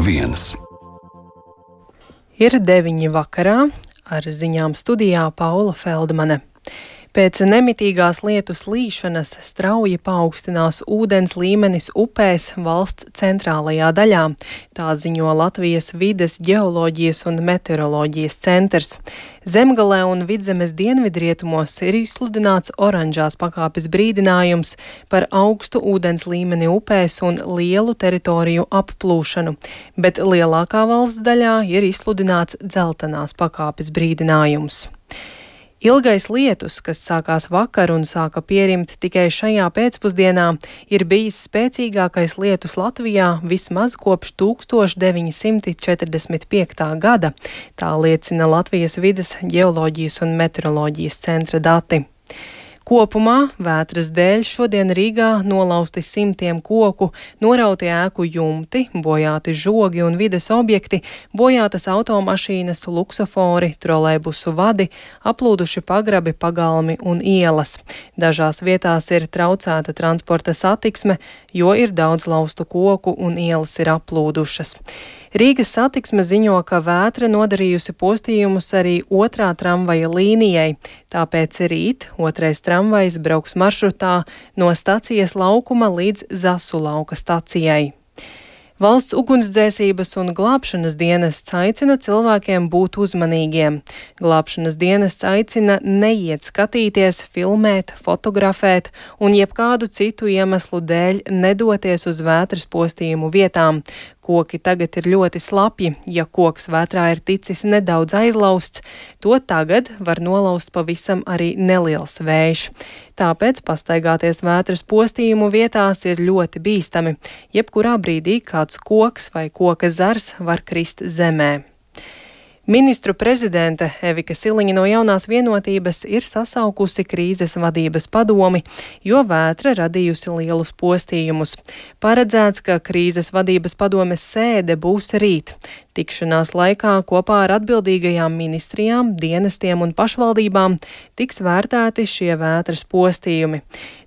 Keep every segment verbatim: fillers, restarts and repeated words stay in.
viens. Ir deviņi vakarā, ar ziņām studijā Paula Feldmane. Pēc nemitīgās lietus līšanas strauji paaugstinās ūdens līmenis upēs valsts centrālajā daļā. Tā ziņo Latvijas vides, ģeoloģijas un meteoroloģijas centrs. Zemgalē un Vidzemes dienvidrietumos ir izsludināts oranžās pakāpes brīdinājums par augstu ūdens līmeni upēs un lielu teritoriju applūšanu, bet lielākā valsts daļā ir izsludināts dzeltenās pakāpes brīdinājums. Ilgais lietus, kas sākās vakar un sāka pierimt tikai šajā pēcpusdienā, ir bijis spēcīgākais lietus Latvijā vismaz kopš tūkstoš deviņi simti četrdesmit piektā gada, tā liecina Latvijas vides, ģeoloģijas un meteoroloģijas centra dati. Kopumā vētras dēļ šodien Rīgā nolausti simtiem koku, norauti ēku jumti, bojāti žogi un vides objekti, bojātas automašīnas, luksofori, trolejbusu vadi, aplūduši pagrabi, pagalmi un ielas. Dažās vietās ir traucēta transporta satiksme, jo ir daudz laustu koku un ielas ir aplūdušas. Rīgas satiksme ziņo, ka vētra nodarījusi postījumus arī otrā tramvaja līnijai, tāpēc rīt otrais tramvajs brauks maršrutā no stacijas laukuma līdz Zasu lauka stacijai. Valsts ugunsdzēsības un glābšanas dienests aicina cilvēkiem būt uzmanīgiem. Glābšanas dienests aicina neiet skatīties, filmēt, fotografēt un jebkādu citu iemeslu dēļ nedoties uz vētras postījumu vietām. Koki tagad ir ļoti slapji, ja koks vētrā ir ticis nedaudz aizlausts, to tagad var nolaust pavisam arī neliels vējš. Tāpēc pastaigāties vētras postījumu vietās ir ļoti bīstami, jebkurā brīdī kāds koks vai koka zars var krist zemē. Ministru prezidente Evika Siliņa no Jaunās vienotības ir sasaukusi krīzes vadības padomi, jo vētra radījusi lielus postījumus. Paredzēts, ka krīzes vadības padomes sēde būs rīt. Tikšanās laikā kopā ar atbildīgajām ministrijām, dienestiem un pašvaldībām tiks vērtēti šie vētras postījumi.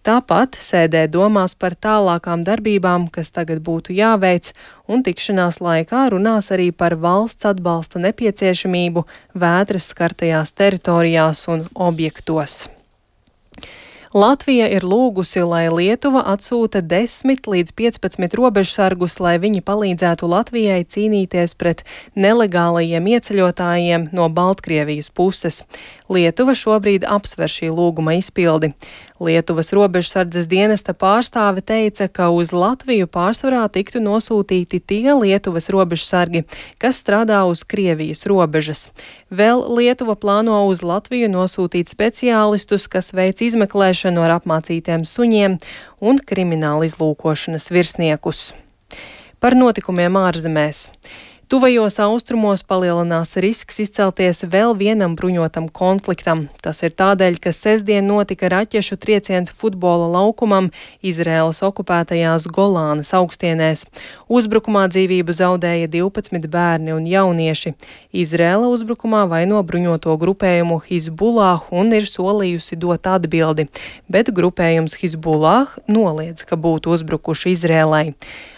Tāpat sēdē domās par tālākām darbībām, kas tagad būtu jāveic, un tikšanās laikā runās arī par valsts atbalsta nepieciešamību vētras skartajās teritorijās un objektos. Latvija ir lūgusi, lai Lietuva atsūta desmit līdz piecpadsmit robežsargus, lai viņi palīdzētu Latvijai cīnīties pret nelegālajiem ieceļotājiem no Baltkrievijas puses. Lietuva šobrīd apsver šī lūguma izpildi. Lietuvas robežsardzes dienesta pārstāve teica, ka uz Latviju pārsvarā tiktu nosūtīti tie Lietuvas robežsargi, kas strādā uz Krievijas robežas. Vēl Lietuva plāno uz Latviju nosūtīt speciālistus, kas veic izmeklēšanu ar apmācītiem suņiem un krimināla izlūkošanas virsniekus. Par notikumiem ārzemēs. Tuvajos austrumos palielinās risks izcelties vēl vienam bruņotam konfliktam. Tas ir tādēļ, ka sestdien notika raķešu trieciens futbola laukumam Izraēlas okupētajās Golānas augstienēs. Uzbrukumā dzīvību zaudēja divpadsmit bērni un jaunieši. Izraēla uzbrukumā vaino bruņoto grupējumu Hizbullah un ir solījusi dot atbildi, bet grupējums Hizbullah noliedz, ka būtu uzbrukuši Izraēlai.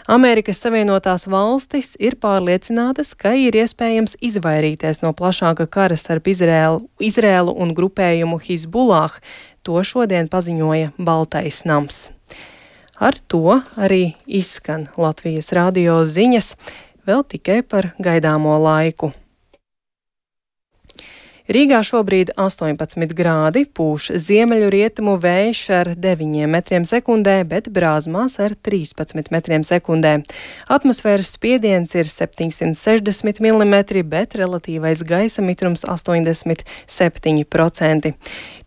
Amerikas Savienotās valstis ir pārliecinātas, ka ir iespējams izvairīties no plašāka kara starp Izraēlu, Izraēlu un grupējumu Hizbullah. To šodien paziņoja Baltais nams. Ar to arī izskan Latvijas radio ziņas, vēl tikai par gaidāmo laiku. Rīgā šobrīd astoņpadsmit grādi, pūš ziemeļu rietumu vējš ar deviņiem metriem sekundē, bet Brāzmās ar trīspadsmit metriem sekundē. Atmosfēras spiediens ir septiņsimt sešdesmit milimetri, bet relatīvais gaisa mitrums astoņdesmit septiņi procenti.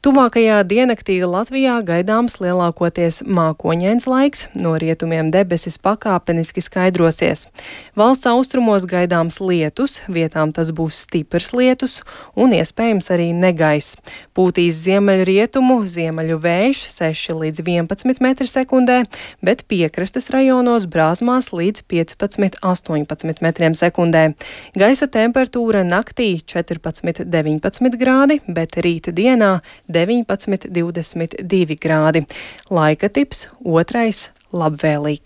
Tuvākajā diennaktī Latvijā gaidāms lielākoties mākoņains laiks, no rietumiem debesis pakāpeniski skaidrosies. Valsts austrumos gaidāms lietus, vietām tas būs stiprs lietus un iespējams arī negaiss. Pūtīs ziemeļu rietumu, ziemeļu vējš seši līdz vienpadsmit metri sekundē, bet piekrastes rajonos Brāzmās līdz piecpadsmit līdz astoņpadsmit metriem sekundē. Gaisa temperatūra naktī četrpadsmit līdz deviņpadsmit grādi, bet rīta dienā deviņpadsmit līdz divdesmit divi grādi. Laika tips otrais labvēlīgs.